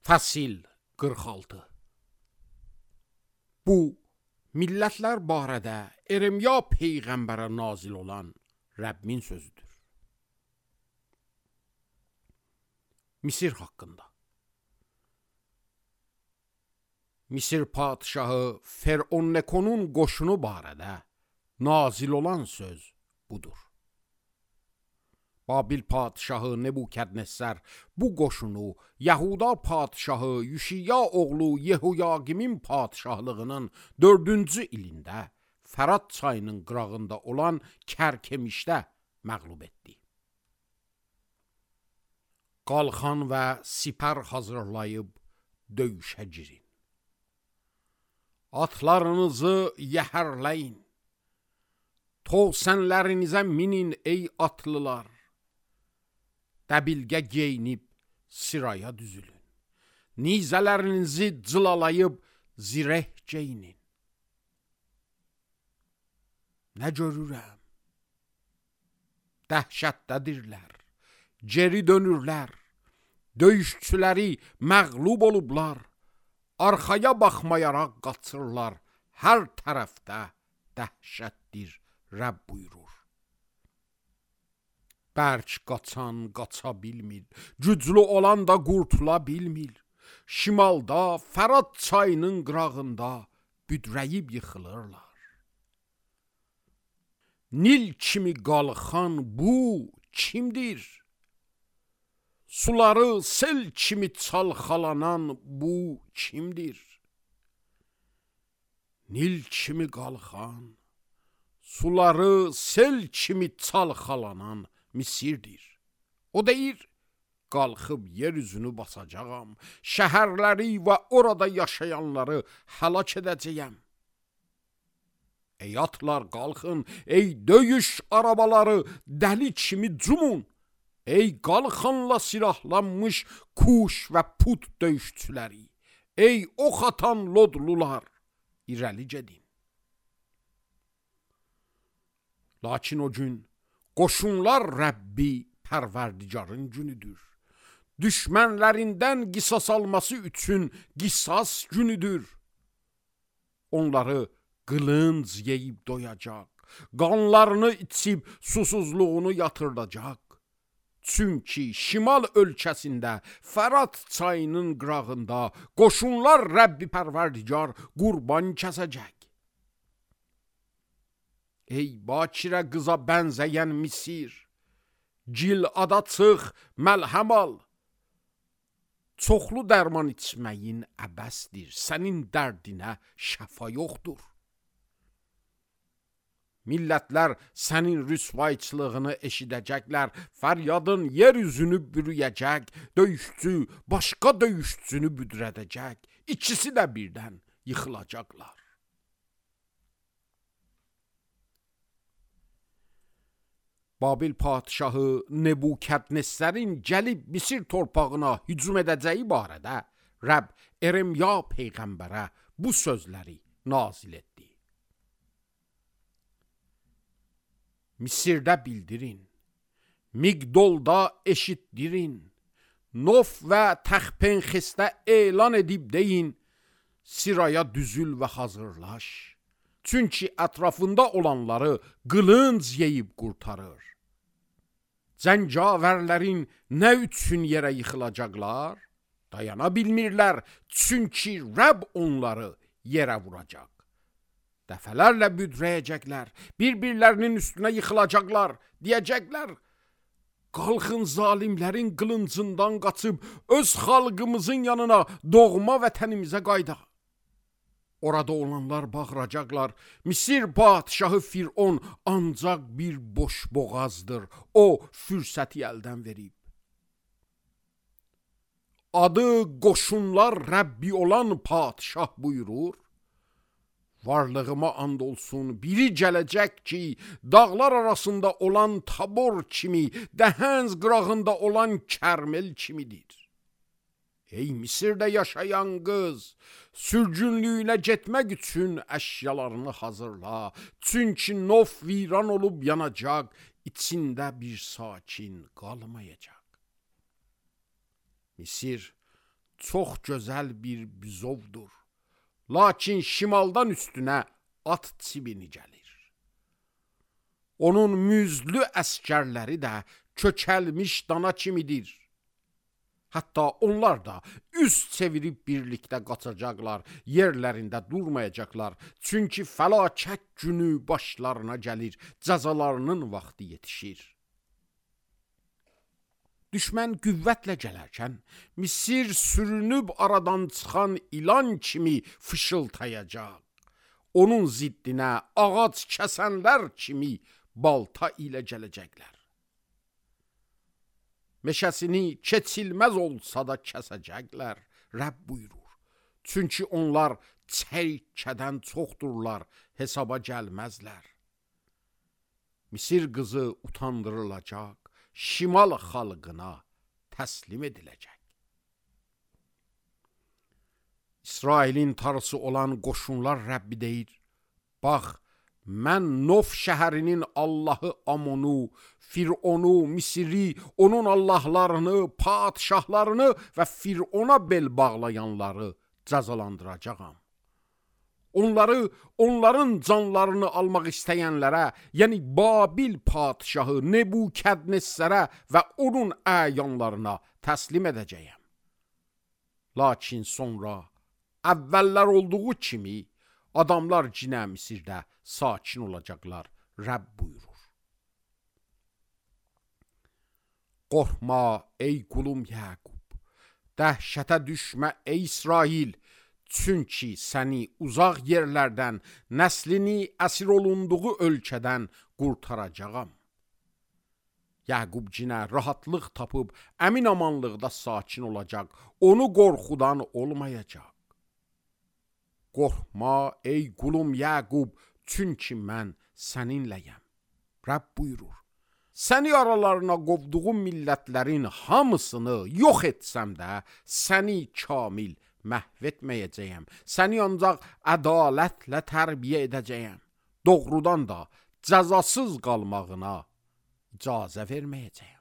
Fəsil 46. Bu, millətlər barədə Eremya peyğəmbərə nazil olan Rəbbin sözüdür. Misir haqqında. Misir padişahı Feronnekonun qoşunu barədə nazil olan söz budur. Babil padişahı Nebukadnessar bu qoşunu Yahuda padişahı Yüşiya oğlu Yehoyaqimin padişahlığının 4-cü ilində Fərat çayının qırağında olan Kərkemişdə məğlub etdi. Qalxan və sipər hazırlayıb döyüşə girin. Atlarınızı yəhərləyin. Tovsənlərinizə minin ey atlılar. Dəbilgə geyinib sıraya düzülün. Nizələrinizi cılalayıb zireh geyinin. Nə görürəm? Dəhşətdədirlər, geri dönürlər, döyüşçüləri məğlub olublar, arxaya baxmayaraq qaçırlar, hər tərəfdə dəhşətdir, Rəbb buyurur. Bərk qaçan qaça bilmir, güclü olan da qurtula bilmir. Şimalda, Fərat çayının qırağında büdrəyib yıxılırlar. Nil kimi qalxan bu kimdir? Suları sel kimi çalxalanan bu kimdir? Nil kimi qalxan, suları sel kimi çalxalanan Misirdir. O deyir, qalxıb yeryüzünü basacağam, şəhərləri və orada yaşayanları həlak edəcəyəm. Ey atlar qalxın, ey döyüş arabaları dəli kimi cumun, ey qalxanla silahlanmış Kuş və Put döyüşçüləri, ey ox atan lodlular, irəli gedin. Lakin o gün qoşunlar Rəbbi Pərverdigarın günüdür. Düşmənlərindən qisas alması üçün qisas günüdür. Onları qılınc yeyib doyacaq, qanlarını içib susuzluğunu yatırdacaq. Çünki şimal ölkəsində Fərat çayının qırağında qoşunlar Rəbbi Pərverdigar qurban kəsəcək. Ey bakirə qıza bənzəyən Misir, Gilada çıx, məlhəm al. Çoxlu dərman içməyin əbəsdir, sənin dərdinə şəfa yoxdur. Millətlər sənin rüsvayçılığını eşidəcəklər, fəryadın yeryüzünü bürüyəcək, döyüşçü başqa döyüşçünü büdrədəcək, ikisi də birdən yıxılacaqlar. Babil padişahı Nebukadnessarın gəlib Misir torpağına hücum edəcəyi barədə Rəbb Eremya peyğəmbərə bu sözləri nazil etdi. Misirdə bildirin, Migdolda eşitdirin, Nof və Təxpenxesdə elan edib deyin, sıraya düzül və hazırlaş. Çünki ətrafında olanları qılınc yeyib qurtarır. Cəngavərlərin nə üçün yerə yıxılacaqlar? Dayana bilmirlər, çünki Rəbb onları yerə vuracaq. Dəfələrlə büdrəyəcəklər, bir-birlərinin üstünə yıxılacaqlar, deyəcəklər, qalxın zalimlərin qılıncından qaçıb öz xalqımızın yanına, doğma vətənimizə qaydaq. Orada olanlar bağıracaqlar, Misir padişahı Firon ancaq bir boş boğazdır, o fürsəti əldən verib. Adı qoşunlar Rəbbi olan padişah buyurur, varlığıma and olsun, biri gələcək ki, dağlar arasında olan Tabor kimi, Dəhənz qırağında olan Kərmel kimidir. Ey Misirdə yaşayan qız, sürgünlüyünə getmək üçün əşyalarını hazırla. Çünki Nof viran olub yanacaq, içində bir sakin qalmayacaq. Misir çox gözəl bir büzovdur. Lakin şimaldan üstünə at çibini gəlir. Onun müzlü əskərləri də kökəlmiş dana kimidir. Hətta onlar da üz çevirib birlikdə qaçacaqlar, yerlərində durmayacaqlar. Çünki fəlakət günü başlarına gəlir, cəzalarının vaxtı yetişir. Düşmən qüvvətlə gələrkən, Misir sürünüb aradan çıxan ilan kimi fışıltayacaq. Onun ziddinə ağac kəsənlər kimi balta ilə gələcəklər. Meşəsini keçilməz olsa da kəsəcəklər, Rəbb buyurur. Çünki onlar çərkədən çoxdurlar, hesaba gəlməzlər. Misir qızı utandırılacaq, şimal xalqına təslim ediləcək. İsrailin tarısı olan qoşunlar Rəbbi deyir, bax, mən Nov şəhərinin Allahı Amonu, Fironu, Misiri, onun Allahlarını, padişahlarını və Firona bel bağlayanları cəzalandıracağam. Onların canlarını almaq istəyənlərə, yəni Babil padişahı Nebukadnezərə və onun əyanlarına təslim edəcəyəm. Lakin sonra əvvəllər olduğu kimi adamlar cinə Misirdə sakin olacaqlar, Rəbb buyurur. Qorxma ey qulum Yaqub, dəhşətə düşmə ey İsrail, çünki səni uzaq yerlərdən, nəslini əsir olunduğu ölkədən qurtaracağam. Yaqub cinə rahatlıq tapıb, əmin amanlıqda sakin olacaq, onu qorxudan olmayacaq. Qorxma ey qulum Yaqub, çünki mən səninləyəm. Rəbb buyurur. Səni aralarına qovduğum millətlərin hamısını yox etsəm də, səni kamil məhv etməyəcəyəm. Səni ancaq ədalətlə tərbiyə edəcəyəm. Doğrudan da cəzasız qalmağına icazə verməyəcəyəm.